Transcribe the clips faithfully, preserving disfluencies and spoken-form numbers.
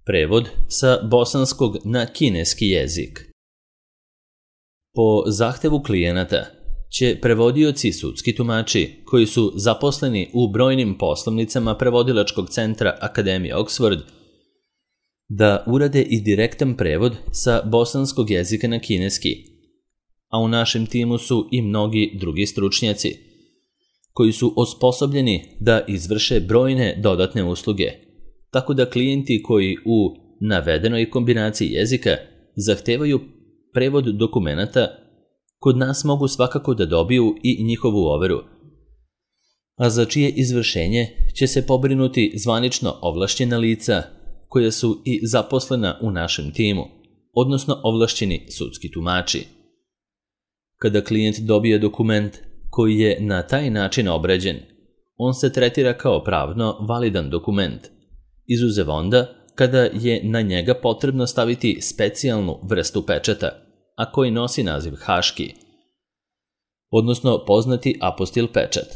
Prevod sa bosanskog na kineski jezik. Po zahtevu klijenata će prevodioci sudski tumači koji su zaposleni u brojnim poslovnicama prevodilačkog centra Akademije Oxford da urade i direktan prevod sa bosanskog jezika na kineski, a u našem timu su i mnogi drugi stručnjaci koji su osposobljeni da izvrše brojne dodatne usluge, tako da klijenti koji u navedenoj kombinaciji jezika zahtevaju prevod dokumenata kod nas mogu svakako da dobiju i njihovu overu, a za čije izvršenje će se pobrinuti zvanično ovlašćena lica koja su i zaposlena u našem timu, odnosno ovlašćeni sudski tumači. Kada klijent dobije dokument koji je na taj način obrađen, on se tretira kao pravno validan dokument, izuzev onda kada je na njega potrebno staviti specijalnu vrstu pečata, a koji nosi naziv haški, odnosno poznati apostil pečat.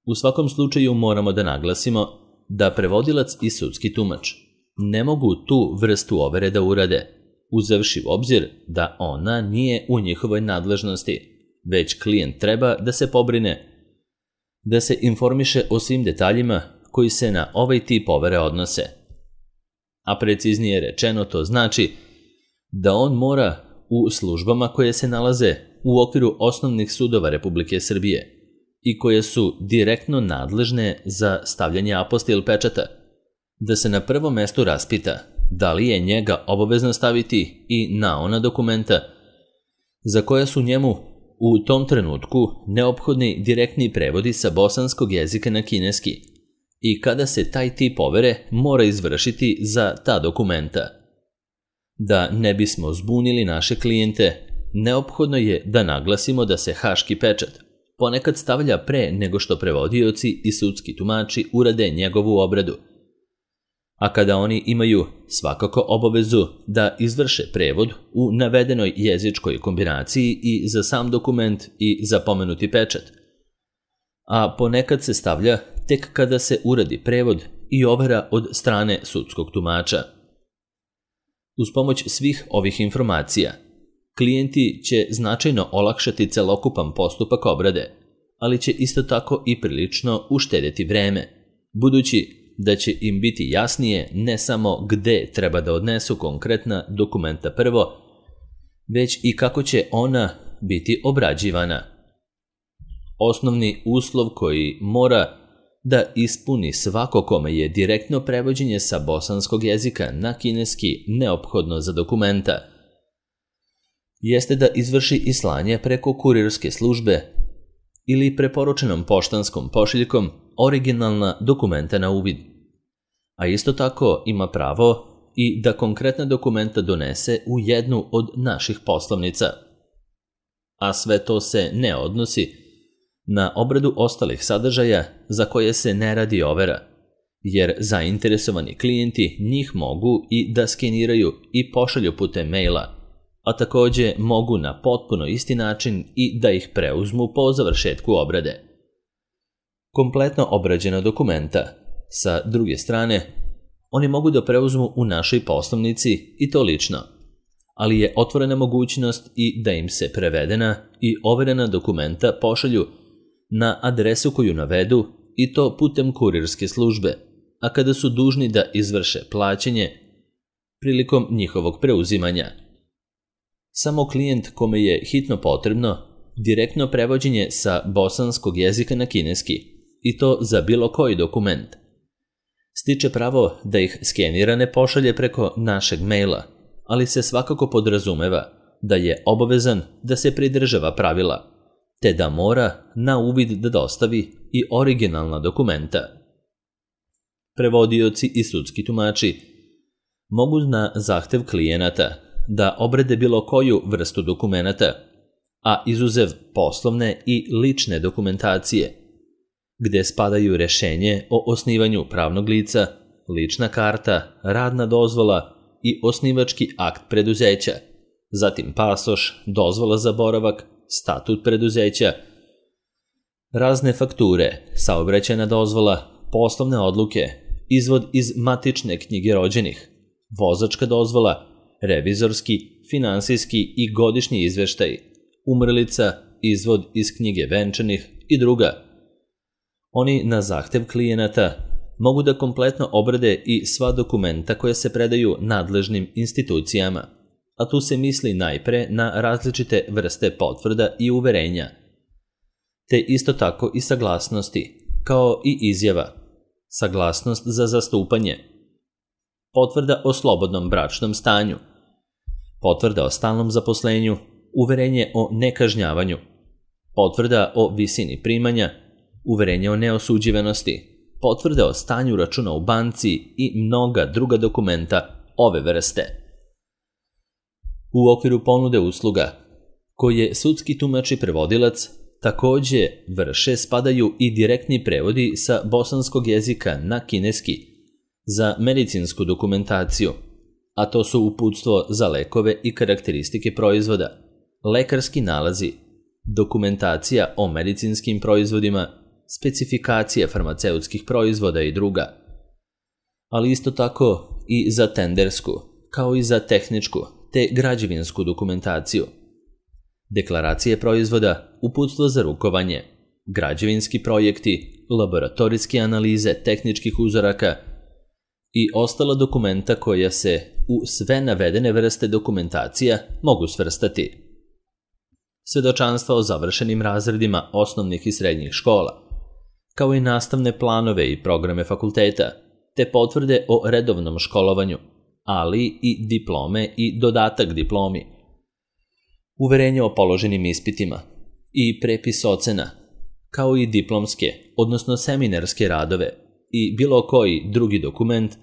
U svakom slučaju moramo da naglasimo da prevodilac i sudski tumač ne mogu tu vrstu overe da urade, uzevši u obzir da ona nije u njihovoj nadležnosti, već klijent treba da se pobrine, da se informiše o svim detaljima koji se na ovaj tip overe odnose. A preciznije rečeno to znači da on mora u službama koje se nalaze u okviru osnovnih sudova Republike Srbije i koje su direktno nadležne za stavljanje apostil pečata, da se na prvom mestu raspita da li je njega obavezno staviti i na ona dokumenta za koja su njemu u tom trenutku neophodni direktni prevodi sa bosanskog jezika na kineski i kada se taj tip overe mora izvršiti za ta dokumenta. Da ne bismo zbunili naše klijente, neophodno je da naglasimo da se haški pečat ponekad stavlja pre nego što prevodioci i sudski tumači urade njegovu obradu, a kada oni imaju svakako obavezu da izvrše prevod u navedenoj jezičkoj kombinaciji i za sam dokument i za pomenuti pečat, a ponekad se stavlja tek kada se uradi prevod i overa od strane sudskog tumača. Uz pomoć svih ovih informacija, klijenti će značajno olakšati celokupan postupak obrade, ali će isto tako i prilično uštedeti vreme, budući da će im biti jasnije ne samo gde treba da odnesu konkretna dokumenta prvo, već i kako će ona biti obrađivana. Osnovni uslov koji mora da ispuni svako kome je direktno prevođenje sa bosanskog jezika na kineski neophodno za dokumenta jeste da izvrši i slanje preko kurirske službe ili preporučenom poštanskom pošiljkom originalna dokumenta na uvid, a isto tako ima pravo i da konkretna dokumenta donese u jednu od naših poslovnica. A sve to se ne odnosi na obradu ostalih sadržaja za koje se ne radi overa, jer zainteresovani klijenti njih mogu i da skeniraju i pošalju putem maila, a takođe mogu na potpuno isti način i da ih preuzmu po završetku obrade. Kompletno obrađena dokumenta, sa druge strane, oni mogu da preuzmu u našoj poslovnici i to lično, ali je otvorena mogućnost i da im se prevedena i overena dokumenta pošalju na adresu koju navedu i to putem kurirske službe, a kada su dužni da izvrše plaćanje prilikom njihovog preuzimanja. Samo klijent kome je hitno potrebno direktno prevođenje sa bosanskog jezika na kineski i to za bilo koji dokument stiče pravo da ih skenirane pošalje preko našeg maila, ali se svakako podrazumeva da je obavezan da se pridržava pravila, te da mora na uvid da dostavi i originalna dokumenta. Prevodioci i sudski tumači mogu na zahtev klijenata da obrade bilo koju vrstu dokumenata, a izuzev poslovne i lične dokumentacije, gde spadaju rešenje o osnivanju pravnog lica, lična karta, radna dozvola i osnivački akt preduzeća, zatim pasoš, dozvola za boravak, statut preduzeća, razne fakture, saobraćajna dozvola, poslovne odluke izvod iz matične knjige rođenih, vozačka dozvola, revizorski, finansijski i godišnji izveštaj, umrlica, izvod iz knjige venčanih i druga. Oni na zahtev klijenata mogu da kompletno obrade i sva dokumenta koja se predaju nadležnim institucijama, a tu se misli najpre na različite vrste potvrda i uverenja, te isto tako i saglasnosti, kao i izjava, saglasnost za zastupanje, potvrda o slobodnom bračnom stanju, potvrda o stalnom zaposlenju, uverenje o nekažnjavanju, potvrda o visini primanja, uverenje o neosuđivanosti, potvrde o stanju računa u banci i mnoga druga dokumenta ove vrste. U okviru ponude usluga, koje sudski tumač i prevodilac takođe vrše, spadaju i direktni prevodi sa bosanskog jezika na kineski za medicinsku dokumentaciju, a to su uputstvo za lekove i karakteristike proizvoda, lekarski nalazi, dokumentacija o medicinskim proizvodima, specifikacija farmaceutskih proizvoda i druga, ali isto tako i za tendersku, kao i za tehničku te građevinsku dokumentaciju, deklaracije proizvoda, uputstvo za rukovanje, građevinski projekti, laboratorijske analize tehničkih uzoraka i ostala dokumenta koja se u sve navedene vrste dokumentacija mogu svrstati. Svedočanstva o završenim razredima osnovnih i srednjih škola, kao i nastavne planove i programe fakulteta, te potvrde o redovnom školovanju, ali i diplome i dodatak diplomi, uverenje o položenim ispitima i prepis ocena, kao i diplomske, odnosno seminarske radove i bilo koji drugi dokument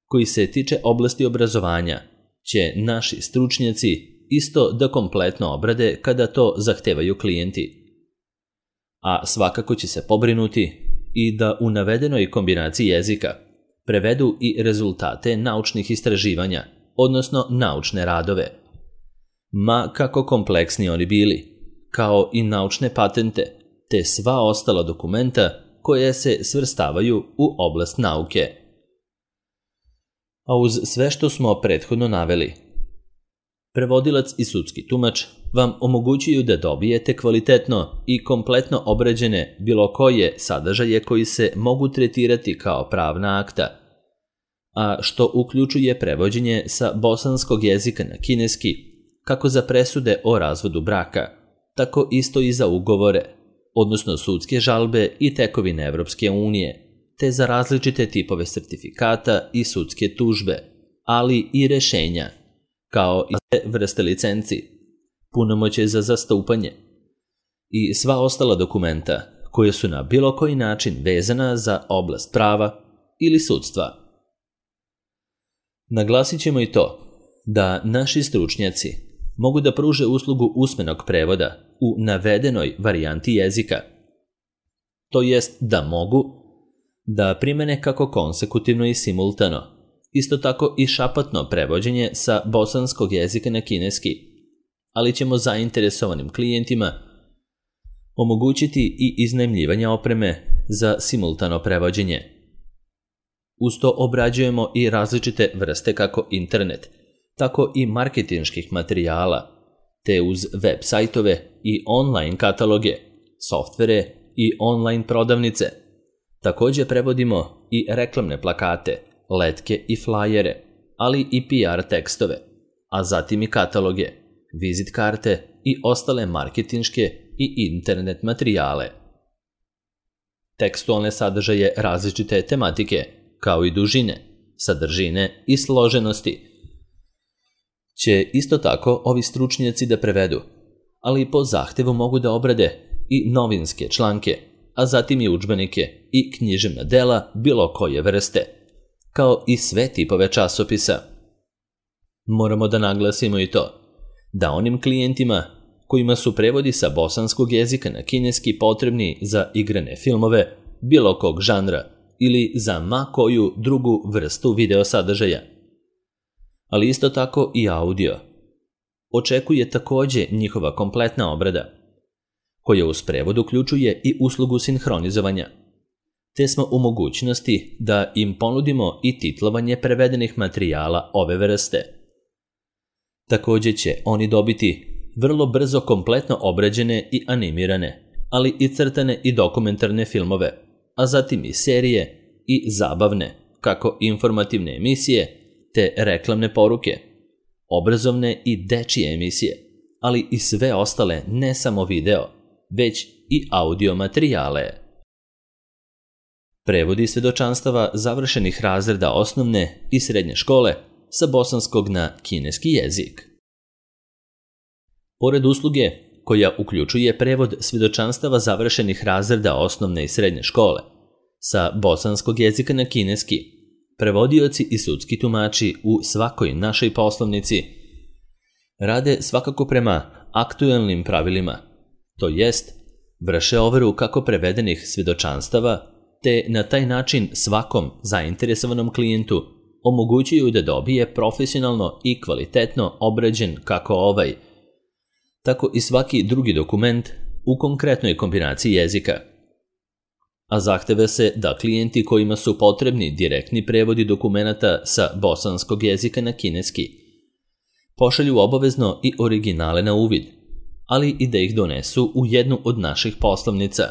koji se tiče oblasti obrazovanja, će naši stručnjaci isto da kompletno obrade kada to zahtevaju klijenti. A svakako će se pobrinuti i da u navedenoj kombinaciji jezika prevedu i rezultate naučnih istraživanja, odnosno naučne radove, ma kako kompleksni oni bili, kao i naučne patente, te sva ostala dokumenta koje se svrstavaju u oblast nauke. A uz sve što smo prethodno naveli, prevodilac i sudski tumač vam omogućuju da dobijete kvalitetno i kompletno obrađene bilo koje sadržaje koji se mogu tretirati kao pravna akta, a što uključuje prevođenje sa bosanskog jezika na kineski, kako za presude o razvodu braka, tako isto i za ugovore, odnosno sudske žalbe i tekovine Evropske unije, te za različite tipove sertifikata i sudske tužbe, ali i rešenja, kao i vrste licenci, punomoćje za zastupanje i sva ostala dokumenta koje su na bilo koji način vezana za oblast prava ili sudstva. Naglasit ćemo i to da naši stručnjaci mogu da pruže uslugu usmenog prevoda u navedenoj varijanti jezika, to jest da mogu da primene kako konsekutivno i simultano, isto tako i šapatno prevođenje sa bosanskog jezika na kineski, ali ćemo zainteresovanim klijentima omogućiti i iznajmljivanje opreme za simultano prevođenje. Uz to obrađujemo i različite vrste kako internet, tako i marketinških materijala, te uz web sajtove i online kataloge, softvere i online prodavnice. Takođe prevodimo i reklamne plakate, letke i flajere, ali i P R tekstove, a zatim i kataloge, vizit karte i ostale marketinške i internet materijale. Tekstualne sadržaje različite tematike, kao i dužine, sadržine i složenosti, će isto tako ovi stručnjaci da prevedu, ali po zahtevu mogu da obrade i novinske članke, a zatim i udžbenike i književna dela bilo koje vrste, kao i sve tipove časopisa. Moramo da naglasimo i to da onim klijentima kojima su prevodi sa bosanskog jezika na kineski potrebni za igrane filmove bilo kog žanra ili za ma koju drugu vrstu video sadržaja, ali isto tako i audio, očekuje takođe njihova kompletna obrada, koja uz prevod uključuje i uslugu sinhronizovanja, te smo u mogućnosti da im ponudimo i titlovanje prevedenih materijala ove vrste. Također će oni dobiti vrlo brzo kompletno obrađene i animirane, ali i crtane i dokumentarne filmove, a zatim i serije i zabavne, kako informativne emisije, te reklamne poruke, obrazovne i dečije emisije, ali i sve ostale ne samo video, već i audio materijale. Prevodi svedočanstava završenih razreda osnovne i srednje škole sa bosanskog na kineski jezik. Pored usluge koja uključuje prevod svedočanstava završenih razreda osnovne i srednje škole sa bosanskog jezika na kineski, prevodioci i sudski tumači u svakoj našoj poslovnici rade svakako prema aktuelnim pravilima, to jest vrše overu kako prevedenih svedočanstava, te na taj način svakom zainteresovanom klijentu omogućuju da dobije profesionalno i kvalitetno obrađen kako ovaj, tako i svaki drugi dokument u konkretnoj kombinaciji jezika. A zahteva se da klijenti kojima su potrebni direktni prevodi dokumenata sa bosanskog jezika na kineski pošalju obavezno i originale na uvid, ali i da ih donesu u jednu od naših poslovnica,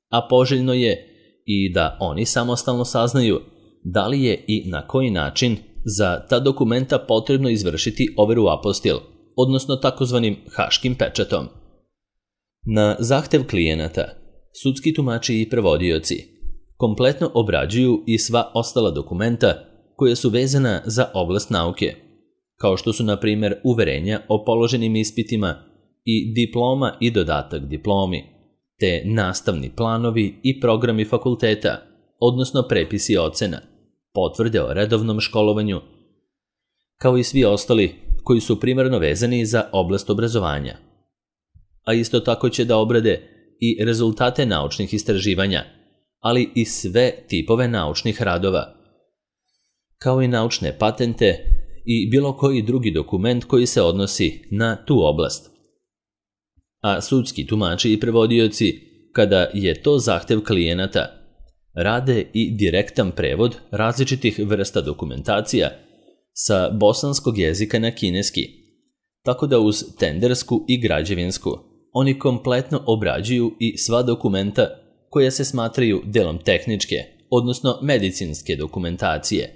a poželjno je i da oni samostalno saznaju da li je i na koji način za ta dokumenta potrebno izvršiti overu apostil, odnosno takozvanim haškim pečatom. Na zahtev klijenata, sudski tumači i prevodioci kompletno obrađuju i sva ostala dokumenta koja su vezana za oblast nauke, kao što su na primjer uverenja o položenim ispitima i diploma i dodatak diplomi, te nastavni planovi i programi fakulteta, odnosno prepisi ocena, potvrde o redovnom školovanju, kao i svi ostali koji su primarno vezani za oblast obrazovanja. A isto tako će da obrade i rezultate naučnih istraživanja, ali i sve tipove naučnih radova, kao i naučne patente i bilo koji drugi dokument koji se odnosi na tu oblast. A sudski tumači i prevodioci, kada je to zahtev klijenata, rade i direktan prevod različitih vrsta dokumentacija sa bosanskog jezika na kineski, tako da uz tendersku i građevinsku oni kompletno obrađuju i sva dokumenta koja se smatraju delom tehničke, odnosno medicinske dokumentacije.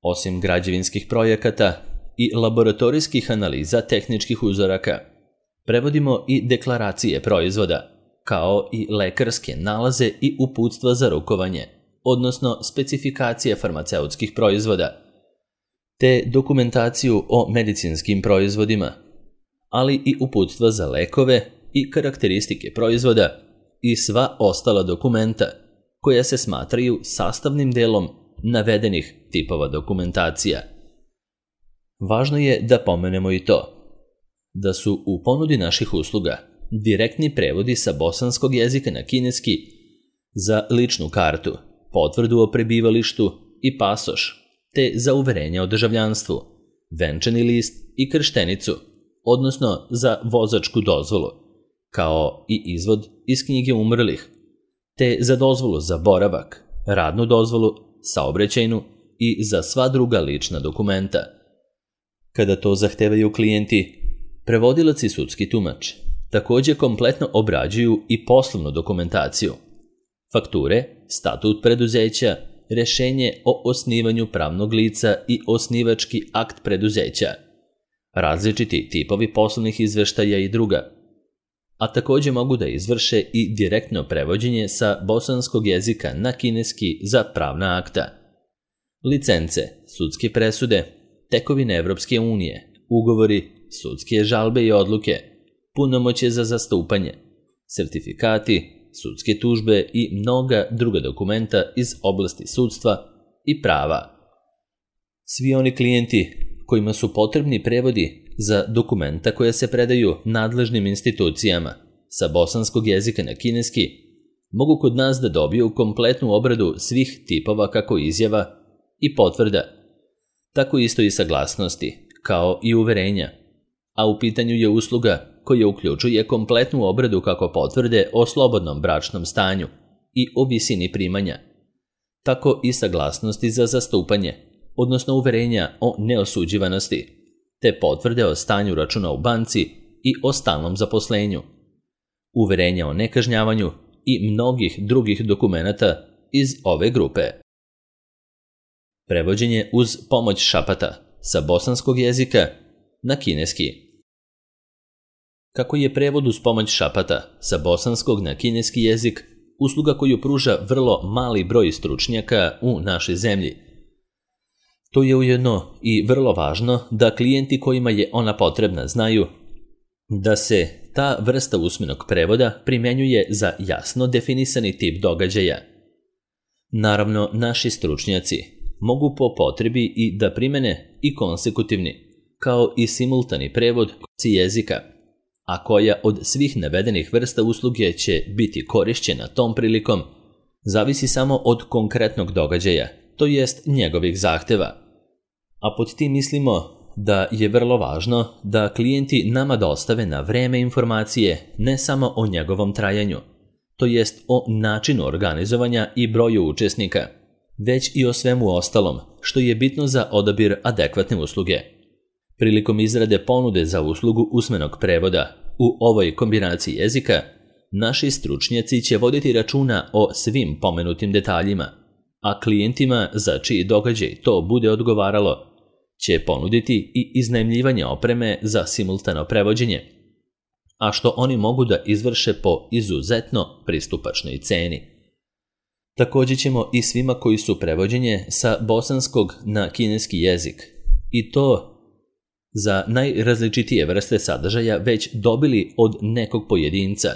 Osim građevinskih projekata i laboratorijskih analiza tehničkih uzoraka, prevodimo i deklaracije proizvoda, kao i lekarske nalaze i uputstva za rukovanje, odnosno specifikacije farmaceutskih proizvoda, te dokumentaciju o medicinskim proizvodima, ali i uputstva za lekove i karakteristike proizvoda i sva ostala dokumenta koja se smatraju sastavnim delom navedenih tipova dokumentacija. Važno je da pomenemo i to da su u ponudi naših usluga direktni prevodi sa bosanskog jezika na kineski za ličnu kartu, potvrdu o prebivalištu i pasoš, te za uverenje o državljanstvu, venčani list i krštenicu, odnosno za vozačku dozvolu, kao i izvod iz knjige umrlih, te za dozvolu za boravak, radnu dozvolu, saobraćajnu i za sva druga lična dokumenta. Kada to zahtevaju klijenti, prevodilac i sudski tumač također kompletno obrađuju i poslovnu dokumentaciju, fakture, statut preduzeća, rješenje o osnivanju pravnog lica i osnivački akt preduzeća, različiti tipovi poslovnih izveštaja i druga, a također mogu da izvrše i direktno prevođenje sa bosanskog jezika na kineski za pravna akta, licence, sudske presude, tekovine Evropske unije, ugovori, sudske žalbe i odluke, punomoćje za zastupanje, sertifikati, sudske tužbe i mnoga druga dokumenta iz oblasti sudstva i prava. Svi oni klijenti kojima su potrebni prevodi za dokumenta koja se predaju nadležnim institucijama sa bosanskog jezika na kineski mogu kod nas da dobiju kompletnu obradu svih tipova kako izjava i potvrda, tako isto i saglasnosti, kao i uverenja, a u pitanju je usluga koja uključuje kompletnu obradu kako potvrde o slobodnom bračnom stanju, i o visini primanja, tako i saglasnosti za zastupanje, odnosno uverenja o neosuđivanosti, te potvrde o stanju računa u banci i o stalnom zaposlenju, uverenja o nekažnjavanju i mnogih drugih dokumenata iz ove grupe. Prevođenje uz pomoć šapata sa bosanskog jezika na kineski. Kako je prevod uz pomoć šapata sa bosanskog na kineski jezik usluga koju pruža vrlo mali broj stručnjaka u našoj zemlji, to je ujedno i vrlo važno da klijenti kojima je ona potrebna znaju da se ta vrsta usmenog prevoda primjenjuje za jasno definisani tip događaja. Naravno, naši stručnjaci mogu po potrebi i da primene i konsekutivni, kao i simultani prevod jezika, a koja od svih navedenih vrsta usluge će biti korišćena tom prilikom, zavisi samo od konkretnog događaja, to jest njegovih zahteva. A pod tim mislimo da je vrlo važno da klijenti nama dostave na vreme informacije ne samo o njegovom trajanju, to jest o načinu organizovanja i broju učesnika, već i o svemu ostalom, što je bitno za odabir adekvatne usluge. Prilikom izrade ponude za uslugu usmenog prevoda u ovoj kombinaciji jezika, naši stručnjaci će voditi računa o svim pomenutim detaljima, a klijentima za čiji događaj to bude odgovaralo će ponuditi i iznajmljivanje opreme za simultano prevođenje, a što oni mogu da izvrše po izuzetno pristupačnoj ceni. Također ćemo i svima koji su prevođenje sa bosanskog na kineski jezik, i to za najrazličitije vrste sadržaja već dobili od nekog pojedinca,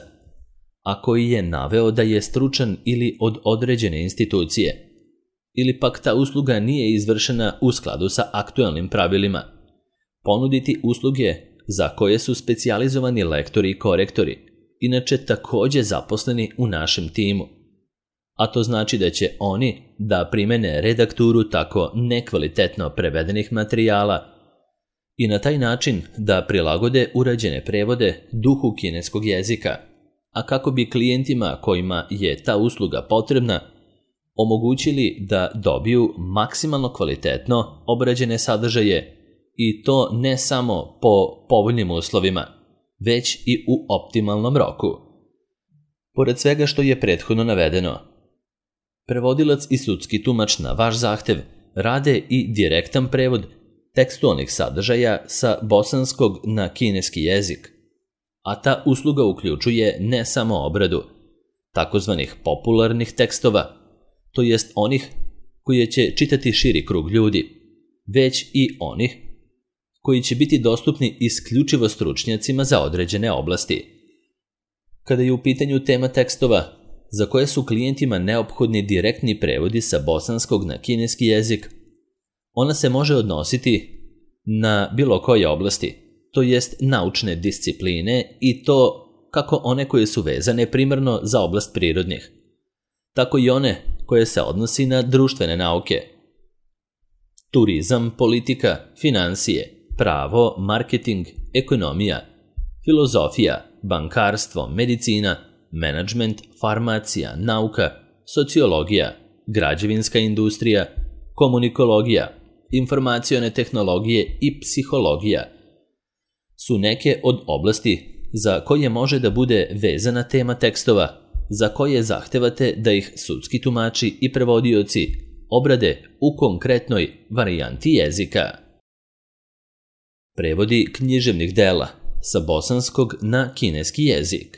a koji je naveo da je stručan ili od određene institucije, ili pak ta usluga nije izvršena u skladu sa aktualnim pravilima, ponuditi usluge za koje su specijalizovani lektori i korektori, inače također zaposleni u našem timu. A to znači da će oni da primene redakturu tako nekvalitetno prevedenih materijala i na taj način da prilagode urađene prevode duhu kineskog jezika, a kako bi klijentima kojima je ta usluga potrebna omogućili da dobiju maksimalno kvalitetno obrađene sadržaje, i to ne samo po povoljnim uslovima, već i u optimalnom roku. Pored svega što je prethodno navedeno, prevodilac i sudski tumač na vaš zahtev rade i direktan prevod tekstualnih sadržaja sa bosanskog na kineski jezik, a ta usluga uključuje ne samo obradu takozvanih popularnih tekstova, to jest onih koje će čitati širi krug ljudi, već i onih koji će biti dostupni isključivo stručnjacima za određene oblasti. Kada je u pitanju tema tekstova za koje su klijentima neophodni direktni prevodi sa bosanskog na kineski jezik, ona se može odnositi na bilo koje oblasti, to jest naučne discipline, i to kako one koje su vezane primarno za oblast prirodnih, tako i one koje se odnosi na društvene nauke, turizam, politika, financije, pravo, marketing, ekonomija, filozofija, bankarstvo, medicina, menadžment, farmacija, nauka, sociologija, građevinska industrija, komunikologija, informacione tehnologije i psihologija su neke od oblasti za koje može da bude vezana tema tekstova, za koje zahtevate da ih sudski tumači i prevodioci obrade u konkretnoj varijanti jezika. Prevodi književnih dela sa bosanskog na kineski jezik.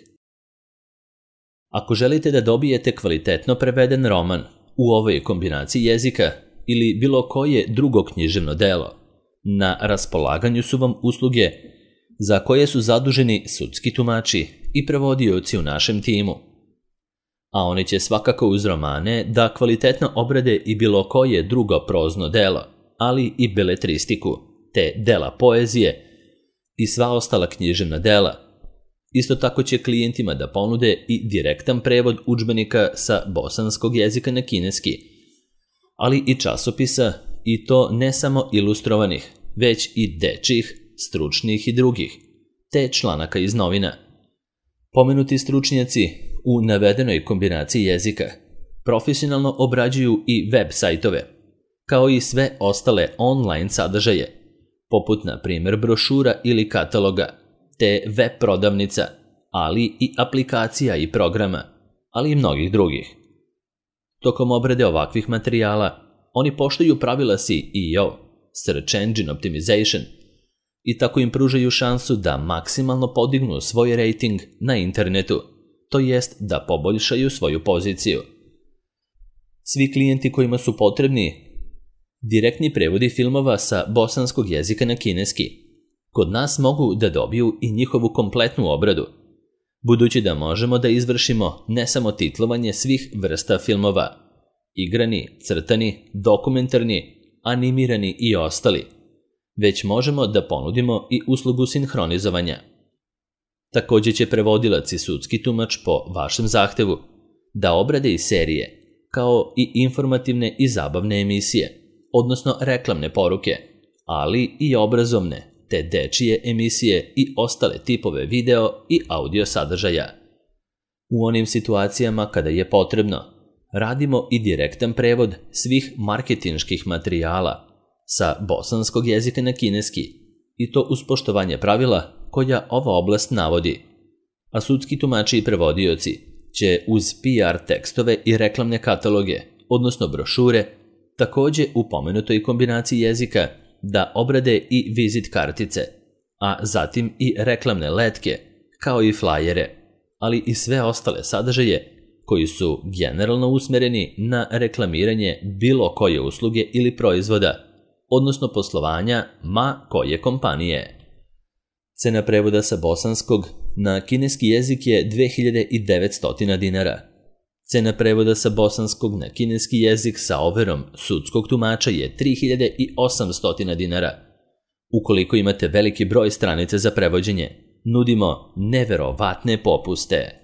Ako želite da dobijete kvalitetno preveden roman u ovoj kombinaciji jezika ili bilo koje drugo književno delo, na raspolaganju su vam usluge za koje su zaduženi sudski tumači i prevodioci u našem timu, a oni će svakako uz romane da kvalitetno obrade i bilo koje drugo prozno delo, ali i beletristiku, te dela poezije i sva ostala književna dela. Isto tako će klijentima da ponude i direktan prevod udžbenika sa bosanskog jezika na kineski, ali i časopisa, i to ne samo ilustrovanih, već i dečjih, stručnih i drugih, te članaka iz novina. Pomenuti stručnjaci u navedenoj kombinaciji jezika profesionalno obrađuju i web sajtove, kao i sve ostale online sadržaje, poput na primjer brošura ili kataloga, te web prodavnica, ali i aplikacija i programa, ali i mnogih drugih. Tokom obrade ovakvih materijala, oni poštuju pravila S E O, Search Engine Optimization, i tako im pružaju šansu da maksimalno podignu svoj rating na internetu, to jest da poboljšaju svoju poziciju. Svi klijenti kojima su potrebni direktni prevodi filmova sa bosanskog jezika na kineski, kod nas mogu da dobiju i njihovu kompletnu obradu, budući da možemo da izvršimo ne samo titlovanje svih vrsta filmova, igrani, crtani, dokumentarni, animirani i ostali, već možemo da ponudimo i uslugu sinhronizovanja. Također će prevodilac i sudski tumač po vašem zahtevu da obrade i serije, kao i informativne i zabavne emisije, odnosno reklamne poruke, ali i obrazovne, te dečije emisije i ostale tipove video i audio sadržaja. U onim situacijama kada je potrebno, radimo i direktan prevod svih marketinških materijala sa bosanskog jezika na kineski, i to uz poštovanje pravila koja ova oblast navodi. A sudski tumači i prevodioci će uz P R tekstove i reklamne kataloge, odnosno brošure, također u pomenutoj kombinaciji jezika da obrade i vizit kartice, a zatim i reklamne letke, kao i flajere, ali i sve ostale sadržaje koji su generalno usmereni na reklamiranje bilo koje usluge ili proizvoda, odnosno poslovanja ma koje kompanije. Cena prevoda sa bosanskog na kineski jezik je dve hiljade devetsto dinara. Cena prevoda sa bosanskog na kineski jezik sa overom sudskog tumača je tri hiljade osamsto dinara. Ukoliko imate veliki broj stranica za prevođenje, nudimo neverovatne popuste.